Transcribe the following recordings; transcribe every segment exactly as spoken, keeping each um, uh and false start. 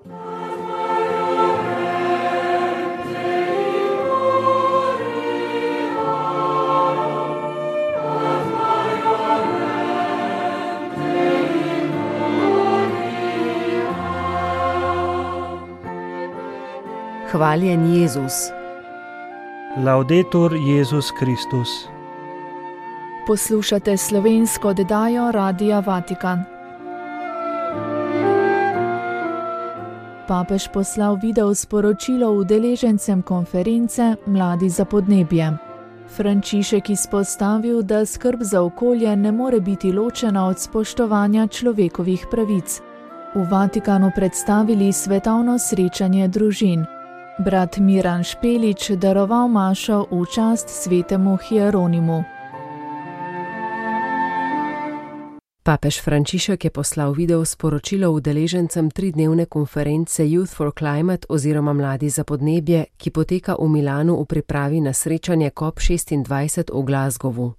Hvaljen Jezus. Laudetur Jezus Kristus. Poslušate slovensko oddajo Radia Vatikan. Papež poslal video sporočilo udeležencem konference Mladi za podnebje. Frančišek izpostavil, da skrb za okolje ne more biti ločena od spoštovanja človekovih pravic. V Vatikanu predstavili svetovno srečanje družin. Brat Miran Špelič daroval mašo v čast svetemu Hieronimu. Papež Frančišek je poslal video sporočilo udeležencem tridnevne konference Youth for Climate oziroma Mladi za podnebje, ki poteka v Milanu v pripravi na srečanje COP šestindvajset v Glasgowu.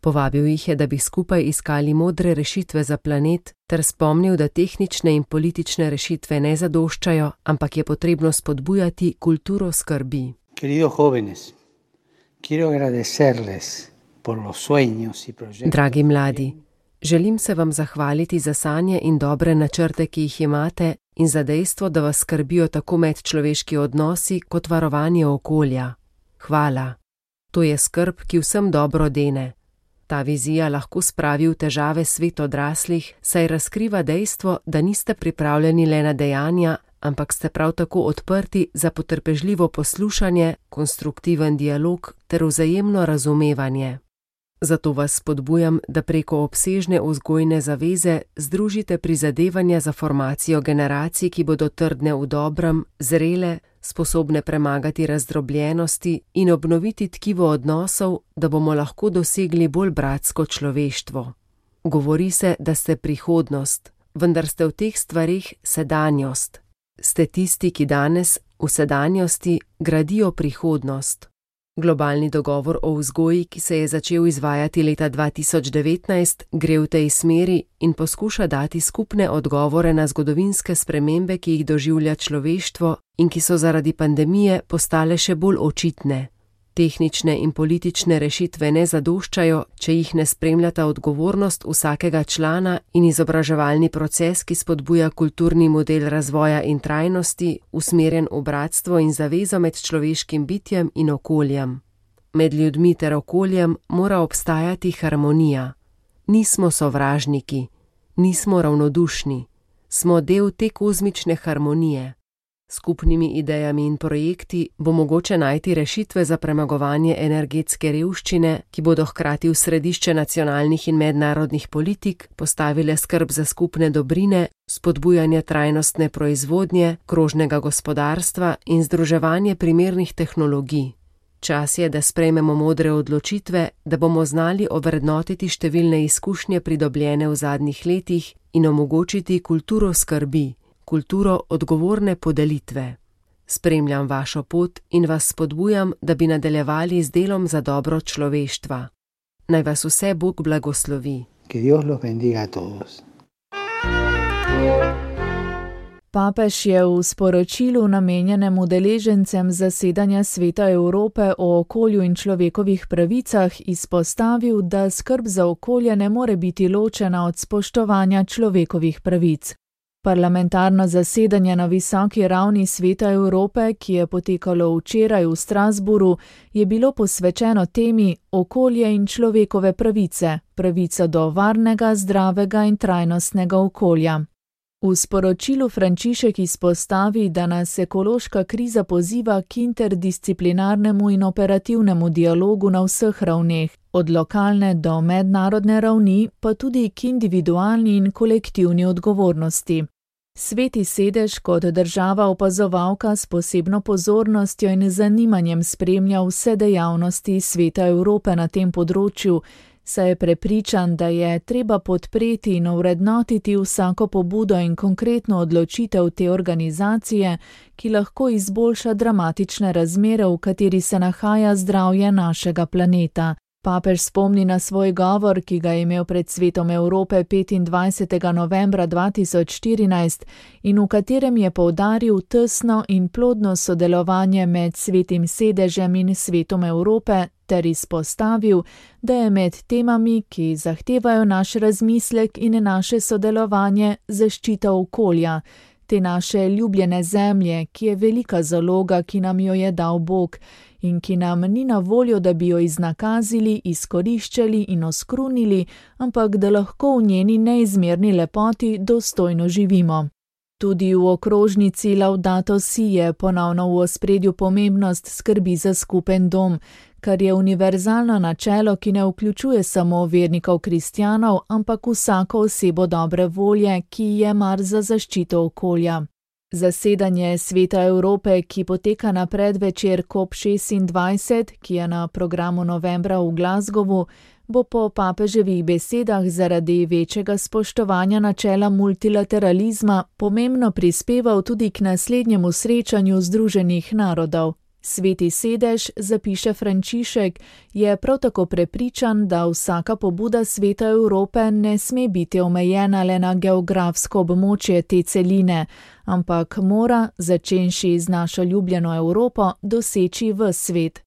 Povabil jih je, da bi skupaj iskali modre rešitve za planet, ter spomnil, da tehnične in politične rešitve ne zadoščajo, ampak je potrebno spodbujati kulturo skrbi. Dragi mladi, želim se vam zahvaliti za sanje in dobre načrte, ki jih imate, in za dejstvo, da vas skrbijo tako medčloveški odnosi kot varovanje okolja. Hvala. To je skrb, ki vsem dobro dene. Ta vizija lahko spravi v težave svet odraslih, saj razkriva dejstvo, da niste pripravljeni le na dejanja, ampak ste prav tako odprti za potrpežljivo poslušanje, konstruktiven dialog ter vzajemno razumevanje. Zato vas spodbujam, da preko obsežne vzgojne zaveze združite prizadevanja za formacijo generacij, ki bodo trdne v dobrem, zrele, sposobne premagati razdrobljenosti in obnoviti tkivo odnosov, da bomo lahko dosegli bolj bratsko človeštvo. Govori se, da ste prihodnost, vendar ste v teh stvarih sedanjost. Ste tisti, ki danes, v sedanjosti, gradijo prihodnost. Globalni dogovor o vzgoji, ki se je začel izvajati leta dva tisoč devetnajst, gre v tej smeri in poskuša dati skupne odgovore na zgodovinske spremembe, ki jih doživlja človeštvo in ki so zaradi pandemije postale še bolj očitne. Tehnične in politične rešitve ne zadoščajo, če jih ne spremljata odgovornost vsakega člana in izobraževalni proces, ki spodbuja kulturni model razvoja in trajnosti, usmerjen v bratstvo in zavezo med človeškim bitjem in okoljem. Med ljudmi ter okoljem mora obstajati harmonija. Nismo sovražniki, nismo ravnodušni, smo del te kozmične harmonije. Skupnimi idejami in projekti bo mogoče najti rešitve za premagovanje energetske revščine, ki bodo hkrati v središče nacionalnih in mednarodnih politik postavile skrb za skupne dobrine, spodbujanje trajnostne proizvodnje, krožnega gospodarstva in združevanje primernih tehnologij. Čas je, da sprejmemo modre odločitve, da bomo znali ovrednotiti številne izkušnje pridobljene v zadnjih letih in omogočiti kulturo skrbi, kulturo odgovorne podelitve. Spremljam vašo pot in vas spodbujam, da bi nadaljevali z delom za dobro človeštva. Naj vas vse Bog blagoslovi. Que Dios los bendiga a todos. Papež je v sporočilu namenjenem udeležencem zasedanja Sveta Evrope o okolju in človekovih pravicah izpostavil, da skrb za okolje ne more biti ločena od spoštovanja človekovih pravic. Parlamentarno zasedanje na visoki ravni Sveta Evrope, ki je potekalo včeraj v Strasbourgu, je bilo posvečeno temi okolje in človekove pravice, pravica do varnega, zdravega in trajnostnega okolja. V sporočilu Frančišek izpostavi, da nas ekološka kriza poziva k interdisciplinarnemu in operativnemu dialogu na vseh ravneh, od lokalne do mednarodne ravni, pa tudi k individualni in kolektivni odgovornosti. Sveti sedež kot država opazovalka s posebno pozornostjo in zanimanjem spremlja vse dejavnosti Sveta Evrope na tem področju, saj je prepričan, da je treba podpreti in ovrednotiti vsako pobudo in konkretno odločitev te organizacije, ki lahko izboljša dramatične razmere, v kateri se nahaja zdravje našega planeta. Papež spomni na svoj govor, ki ga je imel pred Svetom Evrope petindvajsetega novembra dva tisoč štirinajst in v katerem je poudaril tesno in plodno sodelovanje med Svetim sedežem in Svetom Evrope ter izpostavil, da je med temami, ki zahtevajo naš razmislek in naše sodelovanje, zaščita okolja, te naše ljubljene zemlje, ki je velika zaloga, ki nam jo je dal Bog in ki nam ni na voljo, da bi jo iznakazili, izkoriščali in oskrunili, ampak da lahko v njeni neizmerni lepoti dostojno živimo. Tudi v okrožnici Laudato Si je ponovno v ospredju pomembnost skrbi za skupen dom, kar je univerzalno načelo, ki ne vključuje samo vernikov kristjanov, ampak vsako osebo dobre volje, ki je mar za zaščito okolja. Zasedanje Sveta Evrope, ki poteka na predvečer COP šestindvajset, ki je na programu novembra v Glasgowu, bo po papeževih besedah zaradi večjega spoštovanja načela multilateralizma pomembno prispeval tudi k naslednjemu srečanju Združenih narodov. Sveti sedež, zapiše Frančišek, je prav tako prepričan, da vsaka pobuda Sveta Evrope ne sme biti omejena le na geografsko območje te celine, ampak mora, začenši z našo ljubljeno Evropo, doseči ves svet.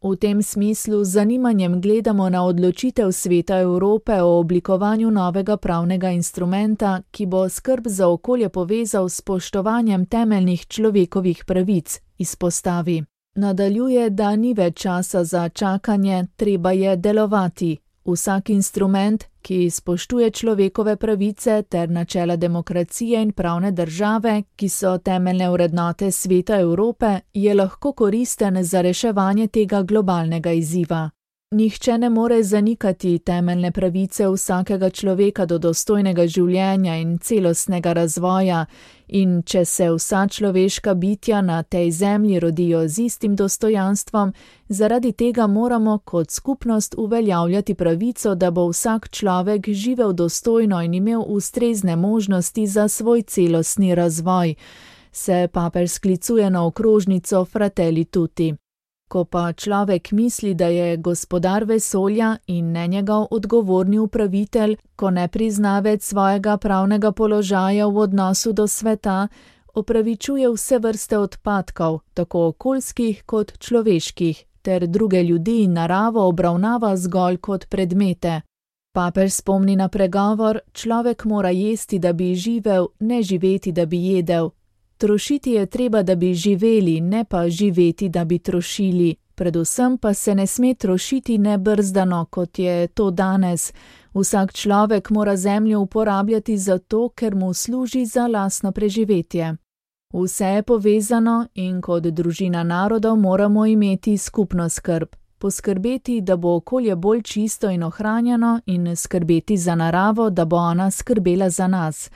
V tem smislu z zanimanjem gledamo na odločitev Sveta Evrope o oblikovanju novega pravnega instrumenta, ki bo skrb za okolje povezal s spoštovanjem temeljnih človekovih pravic, izpostavi. Nadaljuje, da ni več časa za čakanje, treba je delovati. Vsak instrument, ki spoštuje človekove pravice ter načela demokracije in pravne države, ki so temeljne vrednote Sveta Evrope, je lahko koristen za reševanje tega globalnega izziva. Nihče ne more zanikati temeljne pravice vsakega človeka do dostojnega življenja in celostnega razvoja, in če se vsa človeška bitja na tej zemlji rodijo z istim dostojanstvom, zaradi tega moramo kot skupnost uveljavljati pravico, da bo vsak človek živel dostojno in imel ustrezne možnosti za svoj celostni razvoj, se papež sklicuje na okrožnico Fratelli Tutti. Ko pa človek misli, da je gospodar vesolja in ne njegov odgovorni upravitelj, ko ne prizna več svojega pravnega položaja v odnosu do sveta, opravičuje vse vrste odpadkov, tako okoljskih kot človeških, ter druge ljudi in naravo obravnava zgolj kot predmete. Papež spomni na pregovor: človek mora jesti, da bi živel, ne živeti, da bi jedel. Trošiti je treba, da bi živeli, ne pa živeti, da bi trošili. Predvsem pa se ne sme trošiti nebrzdano, kot je to danes. Vsak človek mora zemljo uporabljati zato, ker mu služi za lastno preživetje. Vse je povezano in kot družina narodov moramo imeti skupno skrb. Poskrbeti, da bo okolje bolj čisto in ohranjeno, in skrbeti za naravo, da bo ona skrbela za nas.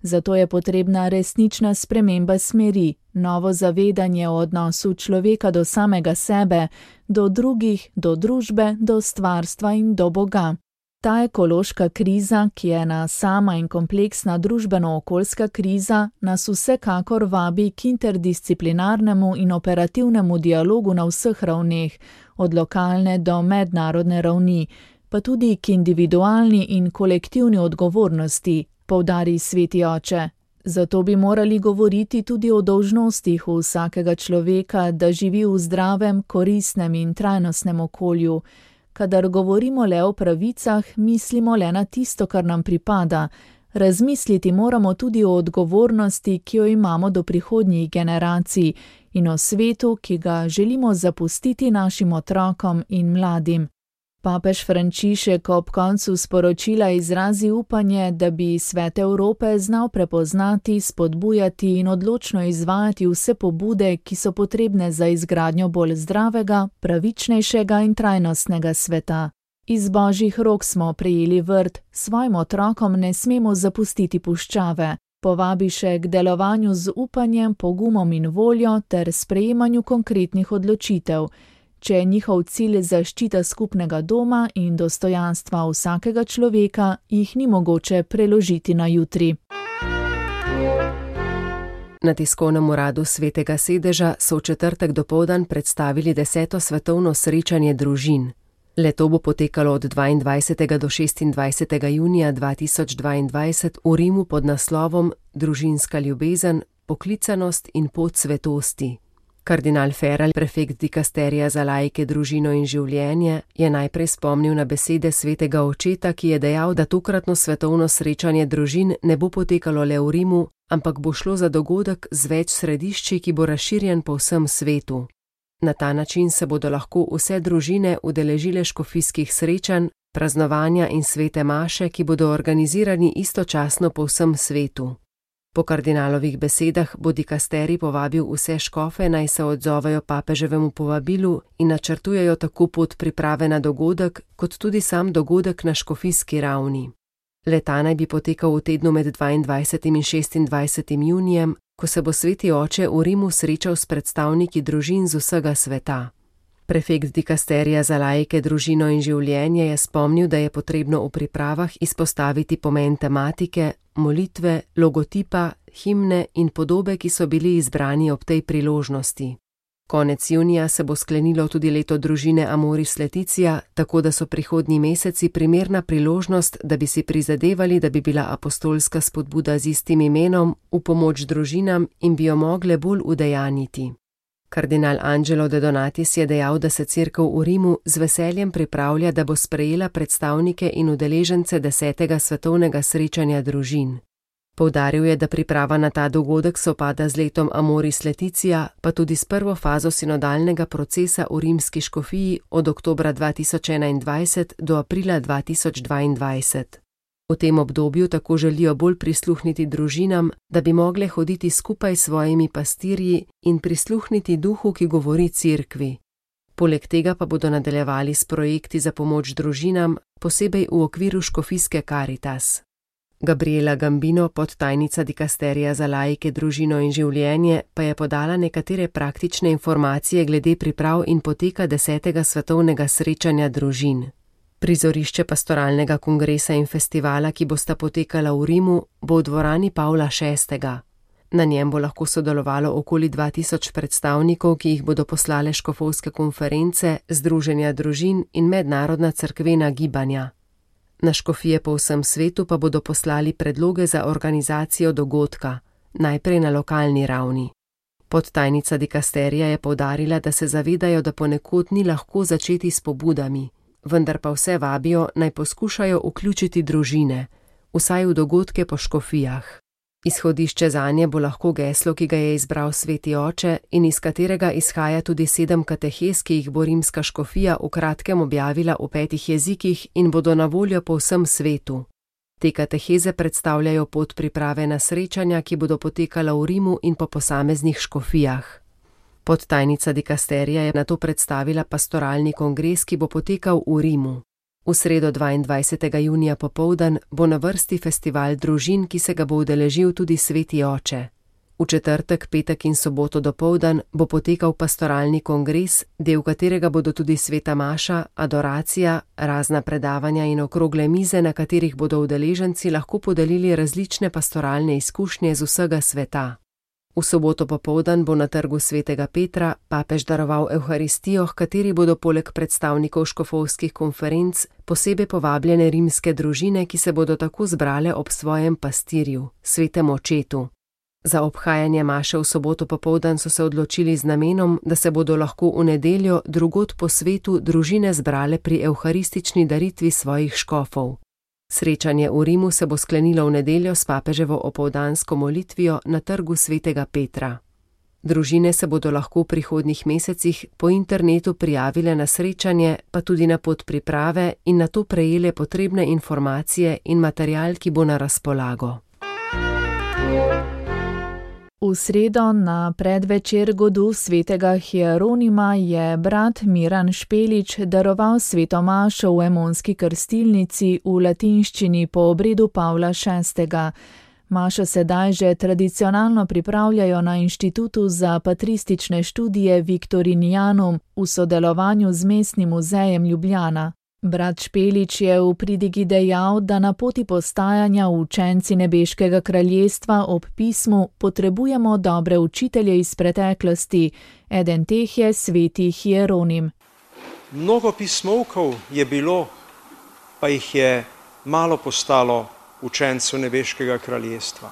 Zato je potrebna resnična sprememba smeri, novo zavedanje o odnosu človeka do samega sebe, do drugih, do družbe, do stvarstva in do Boga. Ta ekološka kriza, ki je ena sama in kompleksna družbeno-okoljska kriza, nas vsekakor vabi k interdisciplinarnemu in operativnemu dialogu na vseh ravneh, od lokalne do mednarodne ravni, pa tudi k individualni in kolektivni odgovornosti, poudari sveti oče. Zato bi morali govoriti tudi o dolžnostih vsakega človeka, da živi v zdravem, koristnem in trajnostnem okolju. Kadar govorimo le o pravicah, mislimo le na tisto, kar nam pripada. Razmisliti moramo tudi o odgovornosti, ki jo imamo do prihodnjih generacij, in o svetu, ki ga želimo zapustiti našim otrokom in mladim. Papež Frančišek ob koncu sporočila izrazi upanje, da bi Svet Evrope znal prepoznati, spodbujati in odločno izvajati vse pobude, ki so potrebne za izgradnjo bolj zdravega, pravičnejšega in trajnostnega sveta. Iz božjih rok smo prejeli vrt, svojim otrokom ne smemo zapustiti puščave. Povabi še k delovanju z upanjem, pogumom in voljo ter sprejemanju konkretnih odločitev. Če je njihov cilj zaščita skupnega doma in dostojanstva vsakega človeka, jih ni mogoče preložiti na jutri. Na tiskovnem uradu Svetega sedeža so v četrtek dopoldan predstavili deseto svetovno srečanje družin. Leto bo potekalo od dvaindvajsetega do šestindvajsetega junija dva tisoč dvaindvajset v Rimu pod naslovom Družinska ljubezen, poklicanost in pot svetosti. Kardinal Ferrell, prefekt dikasterija za laike, družino in življenje, je najprej spomnil na besede svetega očeta, ki je dejal, da tokratno svetovno srečanje družin ne bo potekalo le v Rimu, ampak bo šlo za dogodek z več središči, ki bo razširjen po vsem svetu. Na ta način se bodo lahko vse družine udeležile škofijskih srečanj, praznovanja in svete maše, ki bodo organizirani istočasno po vsem svetu. Po kardinalovih besedah bo dikasterij povabil vse škofe, naj se odzovejo papeževemu povabilu in načrtujejo tako pot priprave na dogodek, kot tudi sam dogodek na škofijski ravni. Le-ta naj bi potekal v tednu med dvaindvajsetim in šestindvajsetim junijem, ko se bo sveti oče v Rimu srečal s predstavniki družin z vsega sveta. Prefekt dikasterija za laike, družino in življenje je spomnil, da je potrebno v pripravah izpostaviti pomen tematike, molitve, logotipa, himne in podobe, ki so bili izbrani ob tej priložnosti. Konec junija se bo sklenilo tudi leto družine Amoris Laetitia, tako da so prihodnji meseci primerna priložnost, da bi si prizadevali, da bi bila apostolska spodbuda z istim imenom v pomoč družinam in bi jo mogle bolj udejanjiti. Kardinal Angelo de Donatis je dejal, da se cerkev v Rimu z veseljem pripravlja, da bo sprejela predstavnike in udeležence desetega svetovnega srečanja družin. Poudaril je, da priprava na ta dogodek sovpada z letom Amoris Laetitia, pa tudi s prvo fazo sinodalnega procesa v rimski škofiji od oktobra dva tisoč enaindvajset do aprila dva tisoč dvaindvajset. V tem obdobju tako želijo bolj prisluhniti družinam, da bi mogle hoditi skupaj s svojimi pastirji in prisluhniti duhu, ki govori cerkvi. Poleg tega pa bodo nadaljevali s projekti za pomoč družinam, posebej v okviru škofijske Caritas. Gabriela Gambino, podtajnica dikasterija za laike, družino in življenje, pa je podala nekatere praktične informacije glede priprav in poteka desetega svetovnega srečanja družin. Prizorišče pastoralnega kongresa in festivala, ki bosta potekala v Rimu, bo v dvorani Pavla šestega. Na njem bo lahko sodelovalo okoli dva tisoč predstavnikov, ki jih bodo poslale škofovske konference, združenja družin in mednarodna cerkvena gibanja. Na škofije po vsem svetu pa bodo poslali predloge za organizacijo dogodka, najprej na lokalni ravni. Podtajnica dikasterija je poudarila, da se zavedajo, da ponekod ni lahko začeti s pobudami, vendar pa vse vabijo, naj poskušajo vključiti družine, vsaj v dogodke po škofijah. Izhodišče zanje bo lahko geslo, ki ga je izbral sveti oče in iz katerega izhaja tudi sedem katehez, ki jih bo rimska škofija v kratkem objavila v petih jezikih in bodo na voljo po vsem svetu. Te kateheze predstavljajo pot priprave na srečanja, ki bodo potekala v Rimu in po posameznih škofijah. Podtajnica dikasterija je nato predstavila pastoralni kongres, ki bo potekal v Rimu. V sredo dvaindvajsetega junija popoldan bo na vrsti festival družin, ki se ga bo udeležil tudi sveti oče. V četrtek, petek in soboto dopoldan bo potekal pastoralni kongres, del katerega bodo tudi sveta maša, adoracija, razna predavanja in okrogle mize, na katerih bodo udeleženci lahko podelili različne pastoralne izkušnje z vsega sveta. V soboto popoldan bo na trgu svetega Petra papež daroval evharistijo, h kateri bodo poleg predstavnikov škofovskih konferenc posebej povabljene rimske družine, ki se bodo tako zbrale ob svojem pastirju, svetem očetu. Za obhajanje maše v soboto popoldan so se odločili z namenom, da se bodo lahko v nedeljo drugod po svetu družine zbrale pri evharistični daritvi svojih škofov. Srečanje v Rimu se bo sklenilo v nedeljo s papeževo opoldansko molitvijo na trgu svetega Petra. Družine se bodo lahko v prihodnjih mesecih po internetu prijavile na srečanje, pa tudi na pot priprave in na to prejele potrebne informacije in material, ki bo na razpolago. V sredo na predvečer godu svetega Hieronima je brat Miran Špelič daroval sveto mašo v emonski krstilnici v latinščini po obredu Pavla šestega. Mašo sedaj že tradicionalno pripravljajo na Inštitutu za patristične študije Victorinianum v sodelovanju z Mestnim muzejem Ljubljana. Brat Špelič je v pridigi dejal, da na poti postajanja učenci nebeškega kraljestva ob pismu potrebujemo dobre učitelje iz preteklosti, eden teh je sveti Hieronim. Mnogo pismovkov je bilo, pa jih je malo postalo učencev nebeškega kraljestva.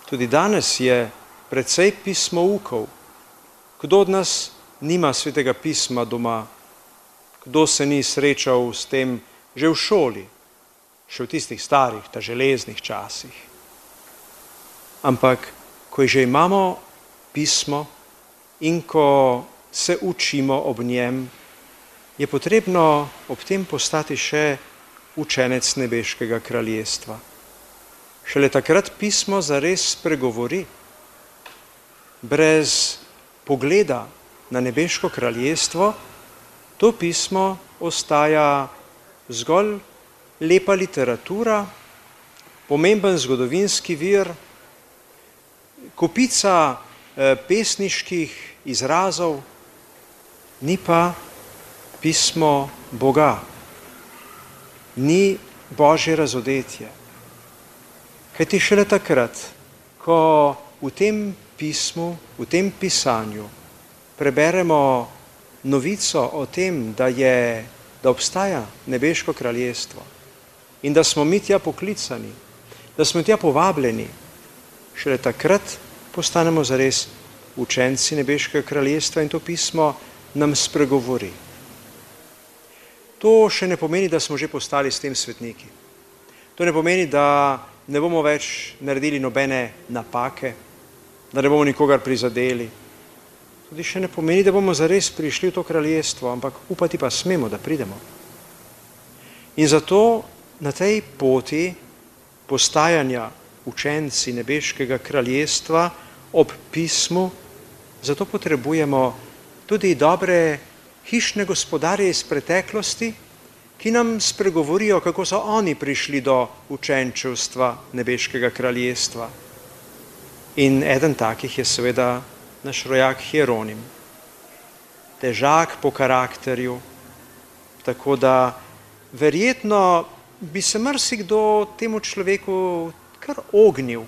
Tudi danes je precej pismoukov. Kdo od nas nima svetega pisma doma? Kdo se ni srečal s tem že v šoli, še v tistih starih, ta železnih časih? Ampak, ko že imamo pismo in ko se učimo ob njem, je potrebno ob tem postati še učenec nebeškega kraljestva. Šele takrat pismo zares spregovori. Brez pogleda na nebeško kraljestvo to pismo ostaja zgolj lepa literatura, pomemben zgodovinski vir, kopica eh, pesniških izrazov, ni pa pismo Boga, ni Božje razodetje. Kajti šele takrat, ko v tem pismu, v tem pisanju preberemo novico o tem, da, je, da obstaja nebeško kraljestvo in da smo mi tja poklicani, da smo tja povabljeni, šele takrat postanemo zares učenci nebeškega kraljestva in to pismo nam spregovori. To še ne pomeni, da smo že postali s tem svetniki. To ne pomeni, da ne bomo več naredili nobene napake, da ne bomo nikogar prizadeli. Tudi še ne pomeni, da bomo zares prišli v to kraljestvo, ampak upati pa smemo, da pridemo. In zato na tej poti postajanja učenci nebeškega kraljestva ob pismu, zato potrebujemo tudi dobre hišne gospodarje iz preteklosti, ki nam spregovorijo, kako so oni prišli do učenčevstva nebeškega kraljestva. In eden takih je seveda naš rojak Hieronim. Težak po karakterju, tako da verjetno bi se marsikdo temu človeku kar ognil.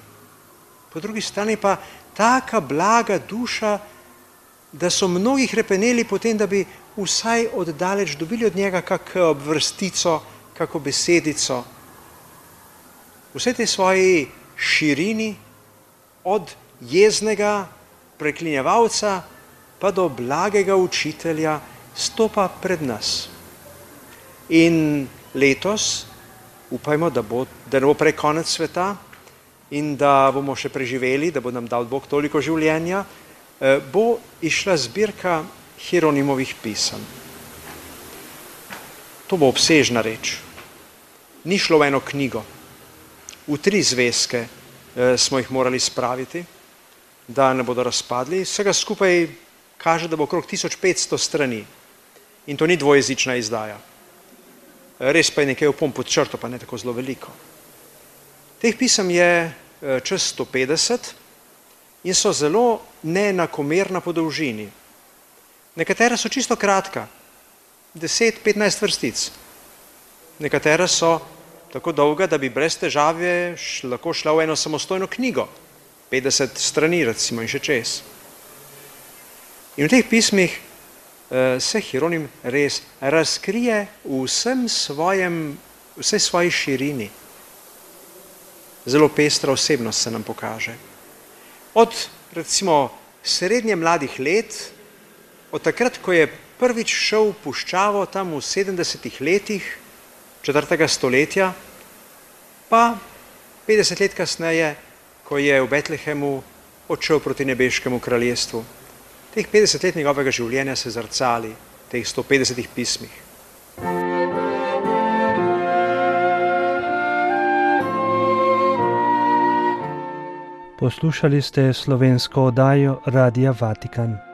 Po drugi strani pa taka blaga duša, da so mnogi hrepeneli potem, da bi vsaj oddaleč dobili od njega kakšno vrstico, kakšno besedico. Vse tej svoji širini, od jeznega preklinjevalca pa do blagega učitelja, stopa pred nas. In letos upajmo, da, bo, da ne bo prej konec sveta in da bomo še preživeli, da bo nam dal Bog toliko življenja, bo išla zbirka Hieronimovih pisem. To bo obsežna reč. Ni šlo v eno knjigo. V tri zvezke eh, smo jih morali spraviti, da ne bodo razpadli. Vsega skupaj kaže, da bo okrog tisoč petsto strani. In to ni dvojezična izdaja. Res pa je nekaj opomb pod črto, pa ne tako zelo veliko. Teh pisem je eh, čez sto petdeset in so zelo neenakomerna po dolžini. Nekatera so čisto kratka, deset petnajst vrstic. Nekatera so tako dolga, da bi brez težave lahko šla v eno samostojno knjigo, petdeset strani recimo in še čez. In v teh pismih uh, se Hieronim res razkrije v vsem svojem, vsej svoji širini. Zelo pestra osebnost se nam pokaže. Od recimo srednje mladih let, od takrat, ko je prvič šel v puščavo tam v sedemdesetih letih četrtega stoletja, pa petdeset let kasneje, ko je v Betlehemu odšel proti nebeškemu kraljestvu. Teh petdeset let njegovega življenja se zrcali v teh sto petdesetih pismih. Poslušali ste slovensko oddajo Radia Vatikan.